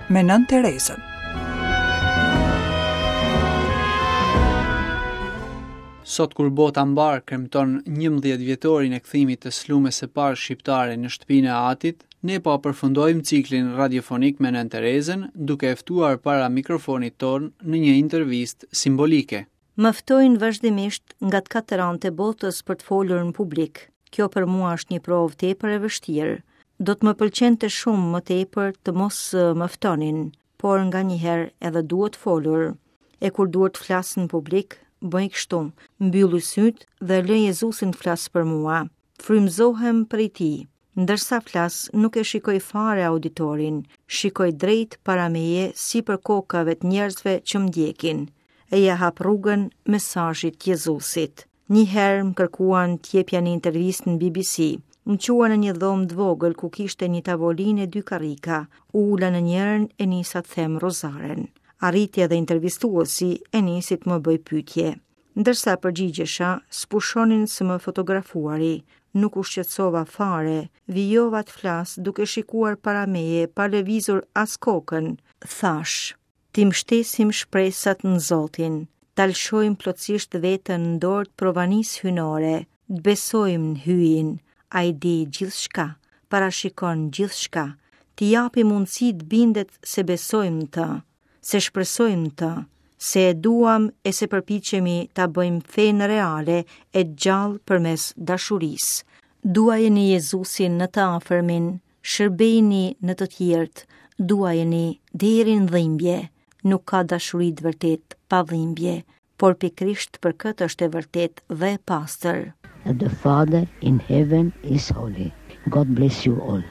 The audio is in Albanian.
me Nënë Terezën. Sot kur bota mbarë kremton 11 vjetorin e kthimit të slumes së parë shqiptare në shtëpinë e atit, ne po përfundojmë ciklin radiofonik me Nënë Terezën, duke e ftuar para mikrofonit tonë në një intervistë simbolike. Më ftojnë vazhdimisht nga të katër anët e botës për të folur në publik. Kjo për mua është një provë tepër e vështirë. Do të më pëlqente shumë më tepër të mos më ftonin, por nganjëherë edhe duhet folur. E kur duhet të flas në publik, bëj kështu, mbylli sytë dhe lë Jezusin të flasë për mua. Frymëzohem prej tij. Ndërsa flas, nuk e shikoj fare auditorin, shikoj drejt para meje sipër kokave të njerëzve që më ndjekin, e ia hap rrugën mesazhit të Jezusit. Një herë më kërkuan të jepja një intervistë në BBC. Më çuan në një dhomë të vogël ku kishte një tavolinë e dy karrika. U ula në njërën e nisa të them rozaren. Arriti edhe intervistuesi e nisi të më bëjë pyetje. Ndërsa përgjigjesha, s'pushonin së më fotografuari. Nuk u shqetësova fare, vijova të flas duke shikuar para meje pa lëvizur as kokën. Thashë, t'i mbështesim shpresat në Zotin, ta lëshojmë plotësisht veten në dorë të provanisë hyjnore, të besojmë në Hyjin, ai di gjithçka, parashikon gjithçka, t'i japim mundësi të bindet se besojmë në të. se shpresojmë në të, se e duam e se përpiqemi ta bëjmë fenë reale e gjallë përmes dashurisë. Duajeni Jezusin në të afërmin, shërbejini në të tjerët, duajeni deri në dhimbje. Nuk ka dashuri të vërtetë pa dhimbje, por pikërisht për këtë është e vërtetë dhe e pastër. The Father in heaven is holy. God bless you all.